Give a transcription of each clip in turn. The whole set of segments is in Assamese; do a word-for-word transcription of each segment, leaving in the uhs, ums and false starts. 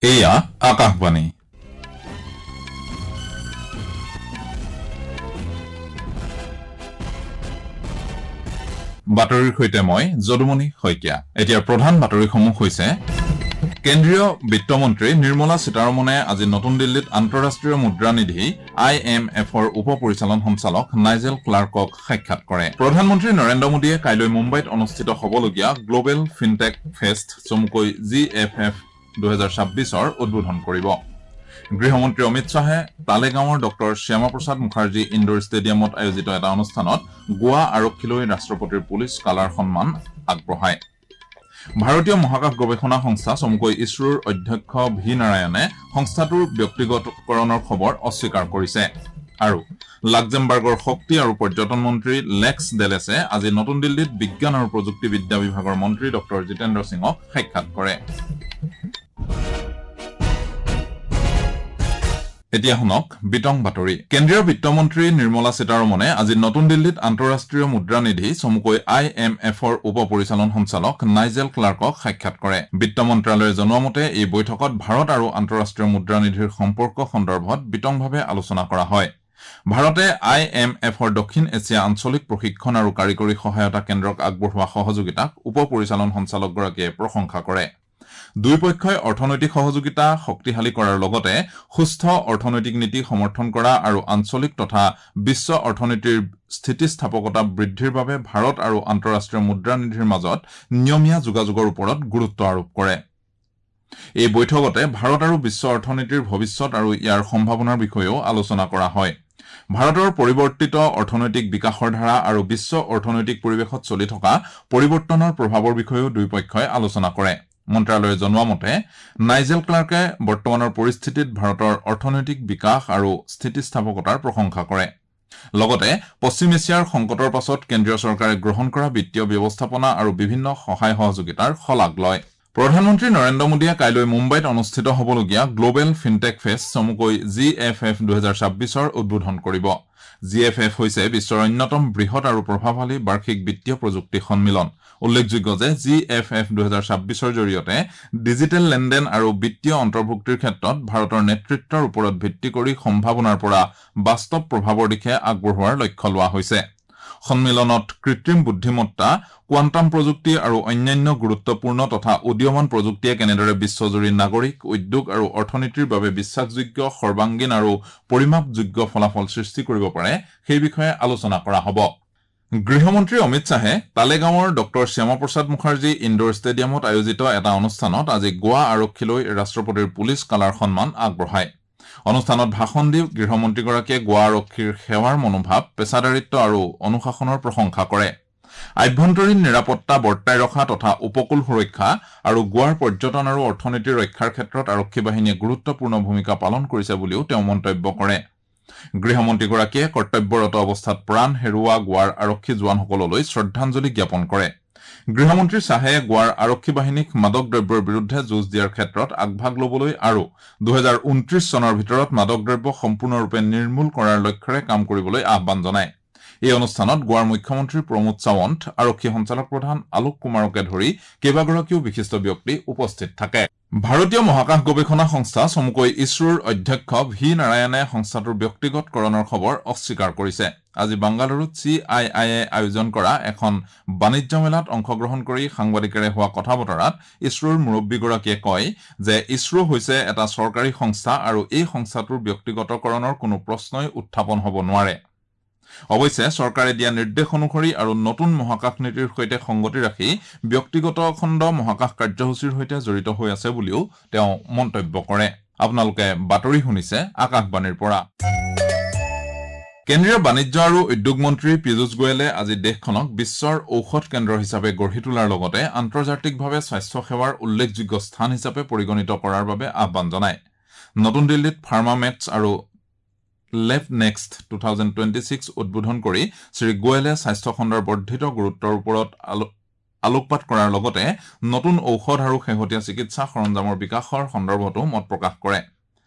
এয়া আকাশবাণী। বাতৰিৰ সৈতে মই যদুমণি শইকীয়া। এতিয়া প্ৰধান বাতৰিসমূহ হৈছে: কেন্দ্ৰীয় বিত্তমন্ত্ৰী নিৰ্মলা সীতাৰমণে আজি নতুন দিল্লীত আন্তঃৰাষ্ট্ৰীয় মুদ্ৰানিধি I am এফৰ উপ পৰিচালন সঞ্চালক নাইজেল ক্লাৰ্কক সাক্ষাৎ কৰে। প্ৰধানমন্ত্ৰী নৰেন্দ্ৰ মোদীয়ে কাইলৈ মুম্বাইত অনুষ্ঠিত হ'বলগীয়া গ্লবেল ফিনটেক ফেষ্ট চমুকৈ জি এফ এফ দুহেজাৰ ছাব্বিছৰ উদ্বোধন কৰিব। গৃহমন্ত্ৰী অমিত শ্বাহে তালেগাঁৱৰ ডঃ শ্যামাপ্ৰসাদ মুখাৰ্জী ইণ্ডোৰ ষ্টেডিয়ামত আয়োজিত এটা অনুষ্ঠানত গোৱা আৰক্ষীলৈ ৰাষ্ট্ৰপতিৰ পুলিচ কালাৰ সন্মান আগবঢ়ায়। ভাৰতীয় মহাকাশ গৱেষণা সংস্থা চমুকৈ ইছৰোৰ অধ্যক্ষ ভি নাৰায়ণে সংস্থাটোৰ ব্যক্তিগতকৰণৰ খবৰ অস্বীকাৰ কৰিছে। আৰু লাক্সেমবাৰ্গৰ শক্তি আৰু পৰ্যটন মন্ত্ৰী লেক্স ডেলেছে আজি নতুন দিল্লীত বিজ্ঞান আৰু প্ৰযুক্তিবিদ্যা বিভাগৰ মন্ত্ৰী ডঃ জিতেন্দ্ৰ সিঙক সাক্ষাৎ কৰে। এতিয়া শুনক বিতং বাতৰি। কেন্দ্ৰীয় বিত্তমন্ত্ৰী নিৰ্মলা সীতাৰমণে আজি নতুন দিল্লীত আন্তঃৰাষ্ট্ৰীয় মুদ্ৰানিধি চমুকৈ I am এফৰ উপ পৰিচালন সঞ্চালক নাইজেল ক্লাৰ্কক সাক্ষাৎ কৰে। বিত্ত মন্ত্ৰালয়ে জনোৱা মতে এই বৈঠকত ভাৰত আৰু আন্তঃৰাষ্ট্ৰীয় মুদ্ৰানিধিৰ সম্পৰ্ক সন্দৰ্ভত বিতংভাৱে আলোচনা কৰা হয়। ভাৰতে I am এফৰ দক্ষিণ এছিয়া আঞ্চলিক প্ৰশিক্ষণ আৰু কাৰিকৰী সহায়তা কেন্দ্ৰক আগবঢ়োৱা সহযোগিতাক উপ পৰিচালন সঞ্চালকগৰাকীয়ে প্ৰশংসা কৰে। দুয়োপক্ষই অৰ্থনৈতিক সহযোগিতা শক্তিশালী কৰাৰ লগতে সুস্থ অৰ্থনৈতিক নীতি সমৰ্থন কৰা আৰু আঞ্চলিক তথা বিশ্ব অৰ্থনীতিৰ স্থিতিস্থাপকতা বৃদ্ধিৰ বাবে ভাৰত আৰু আন্তঃৰাষ্ট্ৰীয় মুদ্ৰানিধিৰ মাজত নিয়মীয়া যোগাযোগৰ ওপৰত গুৰুত্ব আৰোপ কৰে। এই বৈঠকতে ভাৰত আৰু বিশ্ব অৰ্থনীতিৰ ভৱিষ্যত আৰু ইয়াৰ সম্ভাৱনাৰ বিষয়েও আলোচনা কৰা হয়। ভাৰতৰ পৰিৱৰ্তিত অৰ্থনৈতিক বিকাশৰ ধাৰা আৰু বিশ্ব অৰ্থনৈতিক পৰিৱেশত চলি থকা পৰিৱৰ্তনৰ প্ৰভাৱৰ বিষয়েও দুয়োপক্ষই আলোচনা কৰে। মন্ত্ৰালয়ে জনোৱা মতে নাইজেল ক্লাৰ্কে বৰ্তমানৰ পৰিস্থিতিত ভাৰতৰ অৰ্থনৈতিক বিকাশ আৰু স্থিতিস্থাপকতাৰ প্ৰশংসা কৰে। লগতে পশ্চিম এছিয়াৰ সংকটৰ পাছত কেন্দ্ৰীয় চৰকাৰে গ্ৰহণ কৰা বিত্তীয় ব্যৱস্থাপনা আৰু বিভিন্ন সহায় সহযোগিতাৰ শলাগ লয়। প্ৰধানমন্ত্ৰী নৰেন্দ্ৰ মোদীয়ে কাইলৈ মুম্বাইত অনুষ্ঠিত হ'বলগীয়া গ্লবেল ফিনটেক ফেষ্ট চমুকৈ জি এফ এফ দুহেজাৰ ছাব্বিছৰ উদ্বোধন কৰিব। জি এফ এফ হৈছে বিশ্বৰ অন্যতম বৃহৎ আৰু প্ৰভাৱশালী বাৰ্ষিক বিত্তীয় প্ৰযুক্তি সন্মিলন। উল্লেখযোগ্য যে জি এফ এফ দুহেজাৰ ছাব্বিছৰ জৰিয়তে ডিজিটেল লেনদেন আৰু বিত্তীয় অন্তৰ্ভুক্তিৰ ক্ষেত্ৰত ভাৰতৰ নেতৃত্বৰ ওপৰত ভিত্তি কৰি সম্ভাৱনাৰ পৰা বাস্তৱ প্ৰভাৱৰ দিশে আগবঢ়োৱাৰ লক্ষ্য লোৱা হৈছে। সন্মিলনত কৃত্ৰিম বুদ্ধিমত্তা, কোৱাণ্টাম প্ৰযুক্তি আৰু অন্যান্য গুৰুত্বপূৰ্ণ তথা উদীয়মান প্ৰযুক্তিয়ে কেনেদৰে বিশ্বজুৰি নাগৰিক, উদ্যোগ আৰু অৰ্থনীতিৰ বাবে বিশ্বাসযোগ্য, সৰ্বাংগীন আৰু পৰিমাপযোগ্য ফলাফল সৃষ্টি কৰিব পাৰে সেই বিষয়ে আলোচনা কৰা হ'ব। গৃহমন্ত্ৰী অমিত শ্বাহে তালেগাঁৱৰ ডঃ শ্যামাপ্ৰসাদ মুখাৰ্জী ইণ্ডোৰ ষ্টেডিয়ামত আয়োজিত এটা অনুষ্ঠানত আজি গোৱা আৰক্ষীলৈ ৰাষ্ট্ৰপতিৰ পুলিচ কালাৰ সন্মান আগবঢ়ায়। অনুষ্ঠানত ভাষণ দি গৃহমন্ত্ৰীগৰাকীয়ে গোৱা আৰক্ষীৰ সেৱাৰ মনোভাৱ, পেছাদাৰিত্ব আৰু অনুশাসনৰ প্ৰশংসা কৰে। আভ্যন্তৰীণ নিৰাপত্তা বৰ্তাই ৰখা তথা উপকূল সুৰক্ষা আৰু গোৱাৰ পৰ্যটন আৰু অৰ্থনীতি ৰক্ষাৰ ক্ষেত্ৰত আৰক্ষী বাহিনীয়ে গুৰুত্বপূৰ্ণ ভূমিকা পালন কৰিছে বুলিও তেওঁ মন্তব্য কৰে। গৃহমন্ত্ৰীগৰাকীয়ে কৰ্তব্যৰত অৱস্থাত প্ৰাণ হেৰুওৱা গোৱাৰ আৰক্ষী জোৱানসকললৈ শ্ৰদ্ধাঞ্জলি জ্ঞাপন কৰে। গৃহমন্ত্ৰী শ্বাহে গোৱাৰ আৰক্ষী বাহিনীক মাদক দ্ৰব্যৰ বিৰুদ্ধে যুঁজ দিয়াৰ ক্ষেত্ৰত আগভাগ ল'বলৈ আৰু দুহেজাৰ ঊনত্ৰিশ চনৰ ভিতৰত মাদক দ্ৰব্য সম্পূৰ্ণৰূপে নিৰ্মূল কৰাৰ লক্ষ্যৰে কাম কৰিবলৈ আহ্বান জনায়। এই অনুষ্ঠানত গোৱাৰ মুখ্যমন্ত্ৰী প্ৰমোদ সাৱন্ত, আৰক্ষী সঞ্চালক প্ৰধান আলোক কুমাৰকে ধৰি কেইবাগৰাকীও বিশিষ্ট ব্যক্তি উপস্থিত থাকে। ভাৰতীয় মহাকাশ গৱেষণা সংস্থা চমুকৈ ইছৰোৰ অধ্যক্ষ ভি নাৰায়ণে সংস্থাটোৰ ব্যক্তিগতকৰণৰ খবৰ অস্বীকাৰ কৰিছে। আজি বাংগালুৰুত চি I I A আয়োজন কৰা এখন বাণিজ্য মেলাত অংশগ্ৰহণ কৰি সাংবাদিকেৰে হোৱা কথা বতৰাত ইছৰোৰ মুৰব্বীগৰাকীয়ে কয় যে ইছৰো হৈছে এটা চৰকাৰী সংস্থা আৰু এই সংস্থাটোৰ ব্যক্তিগতকৰণৰ কোনো প্ৰশ্নই উত্থাপন হ'ব নোৱাৰে। অৱশ্যে চৰকাৰে দিয়া নিৰ্দেশ অনুসৰি আৰু নতুন মহাকাশ নীতিৰ সৈতে সংগতি ৰাখি ব্যক্তিগত খণ্ড মহাকাশ কাৰ্যসূচীৰ সৈতে জড়িত হৈ আছে বুলিও তেওঁ মন্তব্য কৰে। আপোনালোকে বাতৰি শুনিছে আকাশবাণীৰ পৰা। কেন্দ্ৰীয় বাণিজ্য আৰু উদ্যোগ মন্ত্ৰী পীযুষ গোৱেলে আজি দেশখনক বিশ্বৰ ঔষধ কেন্দ্ৰ হিচাপে গঢ়ি তোলাৰ লগতে আন্তৰ্জাতিকভাৱে স্বাস্থ্য সেৱাৰ উল্লেখযোগ্য স্থান হিচাপে পৰিগণিত কৰাৰ বাবে আহ্বান জনায়। নতুন দিল্লীত ফাৰ্মা মেটছ আৰু Lab Next two thousand twenty six উদ্বোধন কৰি শ্ৰী গোৱেলে স্বাস্থ্য খণ্ডৰ বৰ্ধিত গুৰুত্বৰ ওপৰত আলোকপাত কৰাৰ লগতে নতুন ঔষধ আৰু শেহতীয়া চিকিৎসা সৰঞ্জামৰ বিকাশৰ সন্দৰ্ভতো মত প্ৰকাশ কৰে।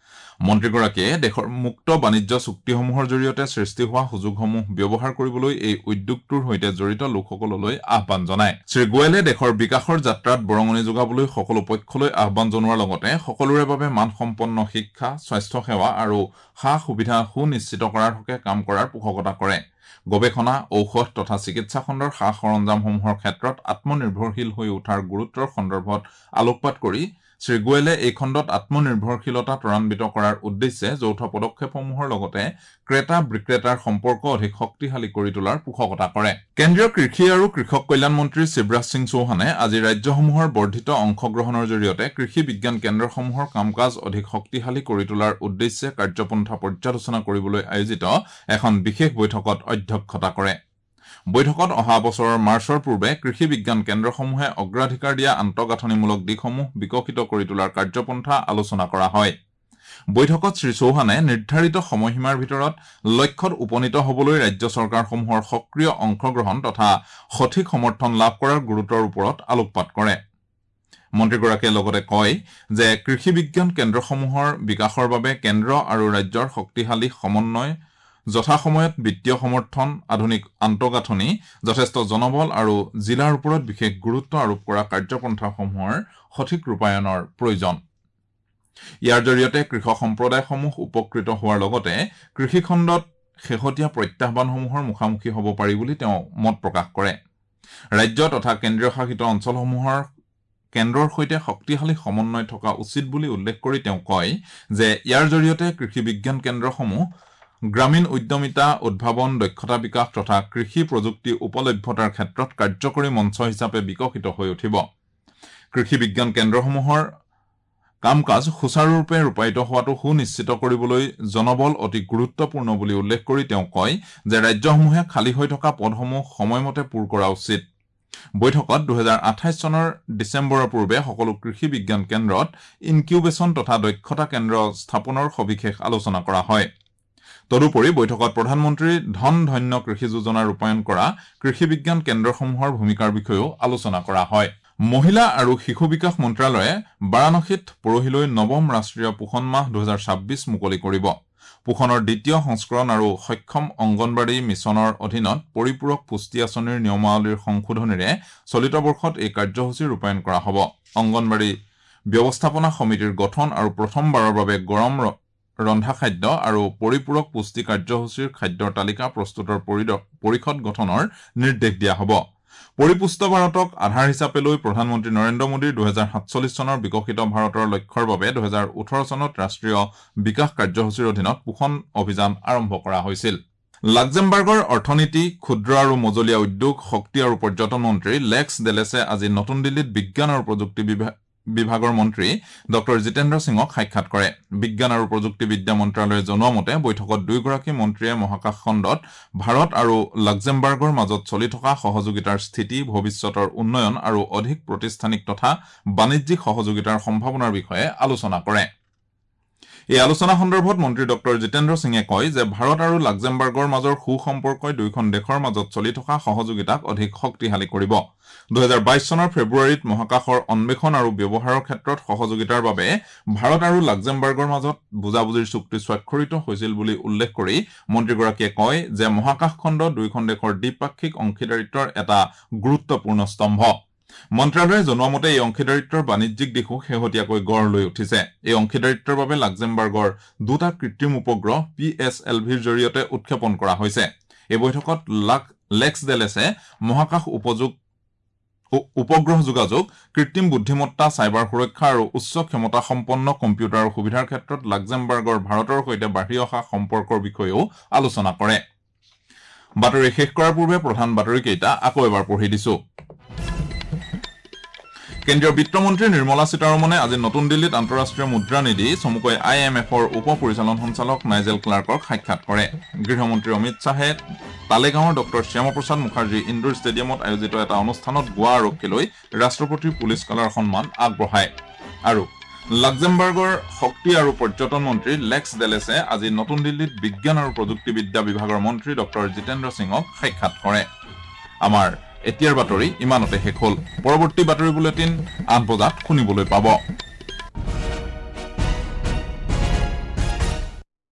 মন্ত্ৰীগৰাকীয়ে দেশৰ মুক্ত বাণিজ্য চুক্তিসমূহৰ জৰিয়তে সৃষ্টি হোৱা সুযোগসমূহ ব্যৱহাৰ কৰিবলৈ এই উদ্যোগটোৰ সৈতে জড়িত লোকসকললৈ আহ্বান জনায়। শ্ৰী গোৱেলে দেশৰ বিকাশৰ যাত্ৰাত বৰঙণি যোগাবলৈ সকলো পক্ষলৈ আহ্বান জনোৱাৰ লগতে সকলোৰে বাবে মানসম্পন্ন শিক্ষা, স্বাস্থ্য সেৱা আৰু সা সুবিধা সুনিশ্চিত কৰাৰ হকে কাম কৰাৰ পোষকতা কৰে। গৱেষণা, ঔষধ তথা চিকিৎসা খণ্ডৰ সা সৰঞ্জামসমূহৰ ক্ষেত্ৰত আত্মনিৰ্ভৰশীল হৈ উঠাৰ গুৰুত্বৰ সন্দৰ্ভত আলোকপাত কৰি শ্ৰী গোৱেলে এই খণ্ডত আত্মনিৰ্ভৰশীলতা ত্বৰান্বিত কৰাৰ উদ্দেশ্যে যৌথ পদক্ষেপসমূহৰ লগতে ক্ৰেতা বিক্ৰেতাৰ সম্পৰ্ক অধিক শক্তিশালী কৰি তোলাৰ পোষকতা কৰে। কেন্দ্ৰীয় কৃষি আৰু কৃষক কল্যাণ মন্ত্ৰী শিৱৰাজ সিং চৌহানে আজি ৰাজ্যসমূহৰ বৰ্ধিত অংশগ্ৰহণৰ জৰিয়তে কৃষি বিজ্ঞান কেন্দ্ৰসমূহৰ কাম কাজ অধিক শক্তিশালী কৰি তোলাৰ উদ্দেশ্যে কাৰ্যপন্থা পৰ্যালোচনা কৰিবলৈ আয়োজিত এখন বিশেষ বৈঠকত অধ্যক্ষতা কৰে। বৈঠকত অহা বছৰৰ মাৰ্চৰ পূৰ্বে কৃষি বিজ্ঞান কেন্দ্ৰসমূহে অগ্ৰাধিকাৰ দিয়া আন্তঃগাঁথনিমূলক দিশসমূহ বিকশিত কৰি তোলাৰ কাৰ্যপন্থা আলোচনা কৰা হয়। বৈঠকত শ্ৰী চৌহানে নিৰ্ধাৰিত সময়সীমাৰ ভিতৰত লক্ষ্যত উপনীত হ'বলৈ ৰাজ্য চৰকাৰসমূহৰ সক্ৰিয় অংশগ্ৰহণ তথা সঠিক সমৰ্থন লাভ কৰাৰ গুৰুত্বৰ ওপৰত আলোকপাত কৰে। মন্ত্ৰীগৰাকীয়ে লগতে কয় যে কৃষি বিজ্ঞান কেন্দ্ৰসমূহৰ বিকাশৰ বাবে কেন্দ্ৰ আৰু ৰাজ্যৰ শক্তিশালী সমন্বয়, যথাসময়ত বিত্তীয় সমৰ্থন, আধুনিক আন্তঃগাঁথনি, যথেষ্ট জনবল আৰু জিলাৰ ওপৰত বিশেষ গুৰুত্ব আৰোপ কৰা কাৰ্যপন্থাসমূহৰ সঠিক ৰূপায়ণৰ প্ৰয়োজন। ইয়াৰ জৰিয়তে কৃষক সম্প্ৰদায়সমূহ উপকৃত হোৱাৰ লগতে কৃষিখণ্ডত শেহতীয়া প্ৰত্যাহ্বানসমূহৰ মুখামুখি হ'ব পাৰি বুলি তেওঁ মত প্ৰকাশ কৰে। ৰাজ্য তথা কেন্দ্ৰীয় শাসিত অঞ্চলসমূহৰ কেন্দ্ৰৰ সৈতে শক্তিশালী সমন্বয় থকা উচিত বুলি উল্লেখ কৰি তেওঁ কয় যে ইয়াৰ জৰিয়তে কৃষি বিজ্ঞান কেন্দ্ৰসমূহ গ্ৰামীণ উদ্যমিতা, উদ্ভাৱন, দক্ষতা বিকাশ তথা কৃষি প্ৰযুক্তি উপলভ্যতাৰ ক্ষেত্ৰত কাৰ্যকৰী মঞ্চ হিচাপে বিকশিত হৈ উঠিব। কৃষি বিজ্ঞান কেন্দ্ৰসমূহৰ কাম কাজ সুচাৰুৰূপে ৰূপায়িত হোৱাটো সুনিশ্চিত কৰিবলৈ জনবল অতি গুৰুত্বপূৰ্ণ বুলি উল্লেখ কৰি তেওঁ কয় যে ৰাজ্যসমূহে খালী হৈ থকা পদসমূহ সময়মতে পূৰ কৰা উচিত। বৈঠকত দুহেজাৰ আঠাইছ চনৰ ডিচেম্বৰৰ পূৰ্বে সকলো কৃষি বিজ্ঞান কেন্দ্ৰত ইনকিউবেশ্যন তথা দক্ষতা কেন্দ্ৰ স্থাপনৰ সবিশেষ আলোচনা কৰা হয়। তদুপৰি বৈঠকত প্ৰধানমন্ত্ৰীৰ ধন ধন্য কৃষি যোজনা ৰূপায়ণ কৰা কৃষি বিজ্ঞান কেন্দ্ৰসমূহৰ ভূমিকাৰ বিষয়েও আলোচনা কৰা হয়। মহিলা আৰু শিশু বিকাশ মন্ত্ৰালয়ে বাৰাণসীত পৰহিলৈ নৱম ৰাষ্ট্ৰীয় পোষণ মাহ দুহেজাৰ ছাব্বিছ মুকলি কৰিব। পোষণৰ দ্বিতীয় সংস্কৰণ আৰু সক্ষম অংগনবাড়ী মিছনৰ অধীনত পৰিপূৰক পুষ্টি আঁচনিৰ নিয়মাৱলীৰ সংশোধনীৰে চলিত বৰ্ষত এই কাৰ্যসূচী ৰূপায়ণ কৰা হ'ব। অংগনবাড়ী ব্যৱস্থাপনা সমিতিৰ গঠন আৰু প্ৰথমবাৰৰ বাবে গৰম ৰন্ধা খাদ্য আৰু পৰিপূৰক পুষ্টি কাৰ্যসূচীৰ খাদ্যৰ তালিকা প্ৰস্তুতৰ পৰিষদ গঠনৰ নিৰ্দেশ দিয়া হ'ব। পৰিপুষ্ট ভাৰতক আধাৰ হিচাপে লৈ প্ৰধানমন্ত্ৰী নৰেন্দ্ৰ মোদীৰ দুহেজাৰ সাতচল্লিছ চনৰ বিকশিত ভাৰতৰ লক্ষ্যৰ বাবে দুহেজাৰ ওঠৰ চনত ৰাষ্ট্ৰীয় বিকাশ কাৰ্যসূচীৰ অধীনত পোষণ অভিযান আৰম্ভ কৰা হৈছিল। লাক্সেমবাৰ্গৰ অৰ্থনীতি, ক্ষুদ্ৰ আৰু মজলীয়া উদ্যোগ, শক্তি আৰু পৰ্যটন মন্ত্ৰী লেক্স ডেলেছে আজি নতুন দিল্লীত বিজ্ঞান আৰু প্ৰযুক্তি বিভাগৰ মন্ত্ৰী ডক্টৰ জিতেন্দ্ৰ সিঙক সাক্ষাৎ কৰে। বিজ্ঞান আৰু প্ৰযুক্তিবিদ্যা মন্ত্ৰালয়ে জনোৱা মতে বৈঠকত দুয়োগৰাকী মন্ত্ৰীয়ে মহাকাশ খণ্ডত ভাৰত আৰু লাক্সেমবাৰ্গৰ মাজত চলি থকা সহযোগিতাৰ স্থিতি, ভৱিষ্যতৰ উন্নয়ন আৰু অধিক প্ৰতিষ্ঠানিক তথা বাণিজ্যিক সহযোগিতাৰ সম্ভাৱনাৰ বিষয়ে আলোচনা কৰে। এই আলোচনা সন্দৰ্ভত মন্ত্ৰী ডক্টৰ জিতেন্দ্ৰ সিঙে কয় যে ভাৰত আৰু লাক্সেমবাৰ্গৰ মাজৰ সুসম্পৰ্কই দুয়োখন দেশৰ মাজত চলি থকা সহযোগিতাক অধিক শক্তিশালী কৰিব। দুহেজাৰ বাইছ চনৰ ফেব্ৰুৱাৰীত মহাকাশৰ অন্বেষণ আৰু ব্যৱহাৰৰ ক্ষেত্ৰত সহযোগিতাৰ বাবে ভাৰত আৰু লাক্সেমবাৰ্গৰ মাজত বুজাবুজিৰ চুক্তি স্বাক্ষৰিত হৈছিল বুলি উল্লেখ কৰি মন্ত্ৰীগৰাকীয়ে কয় যে মহাকাশ খণ্ড দুয়োখন দেশৰ দ্বিপাক্ষিক অংশীদাৰিত্বৰ এটা গুৰুত্বপূৰ্ণ স্তম্ভ। মন্ত্ৰালয়ে জনোৱা মতে এই অংশীদাৰিত্বৰ বাণিজ্যিক দিশো শেহতীয়াকৈ গঢ় লৈ উঠিছে। এই অংশীদাৰিত্বৰ বাবে লাক্সেমবাৰ্গৰ দুটা কৃত্ৰিম উপগ্ৰহ পি এছ এল ভিৰ জৰিয়তে উৎক্ষেপণ কৰা হৈছে। এই বৈঠকত লেক্স ডেলেছে মহাকাশ উপযোগ উপগ্ৰহ যোগাযোগ, কৃত্ৰিম বুদ্ধিমত্তা, চাইবাৰ সুৰক্ষা আৰু উচ্চ ক্ষমতাসম্পন্ন কম্পিউটাৰৰ সুবিধাৰ ক্ষেত্ৰত লাক্সেমবাৰ্গৰ ভাৰতৰ সৈতে বাঢ়ি অহা সম্পৰ্কৰ বিষয়েও আলোচনা কৰে। বাতৰি শেষ কৰাৰ পূৰ্বে প্ৰধান বাতৰিকেইটা আকৌ এবাৰ পঢ়ি দিছো। কেন্দ্ৰীয় বিত্তমন্ত্ৰী নিৰ্মলা সীতাৰমণে আজি নতুন দিল্লীত আন্তঃৰাষ্ট্ৰীয় মুদ্ৰা নিধি চমুকৈ I am এফৰ উপ পৰিচালন সঞ্চালক নাইজেল ক্লাৰ্কক সাক্ষাৎ কৰে। গৃহমন্ত্ৰী অমিত শ্বাহে তালেগাঁৱৰ ডক্টৰ শ্যামাপ্ৰসাদ মুখাৰ্জী ইণ্ডোৰ ষ্টেডিয়ামত আয়োজিত এটা অনুষ্ঠানত গোৱা আৰক্ষীলৈ ৰাষ্ট্ৰপতিৰ পুলিচ কলাৰ সন্মান আগবঢ়ায়। আৰু লাক্সেমবাৰ্গৰ শক্তি আৰু পৰ্যটন মন্ত্ৰী লেক্স ডেলেছে আজি নতুন দিল্লীত বিজ্ঞান আৰু প্ৰযুক্তিবিদ্যা বিভাগৰ মন্ত্ৰী ডক্টৰ জিতেন্দ্ৰ সিঙক সাক্ষাৎ কৰে। আমাৰ এতিয়াৰ বাতৰি ইমানতে শেষ হ'ল। পৰৱৰ্তী বাতৰি বুলেটিন আঠ বজাত শুনিবলৈ পাব।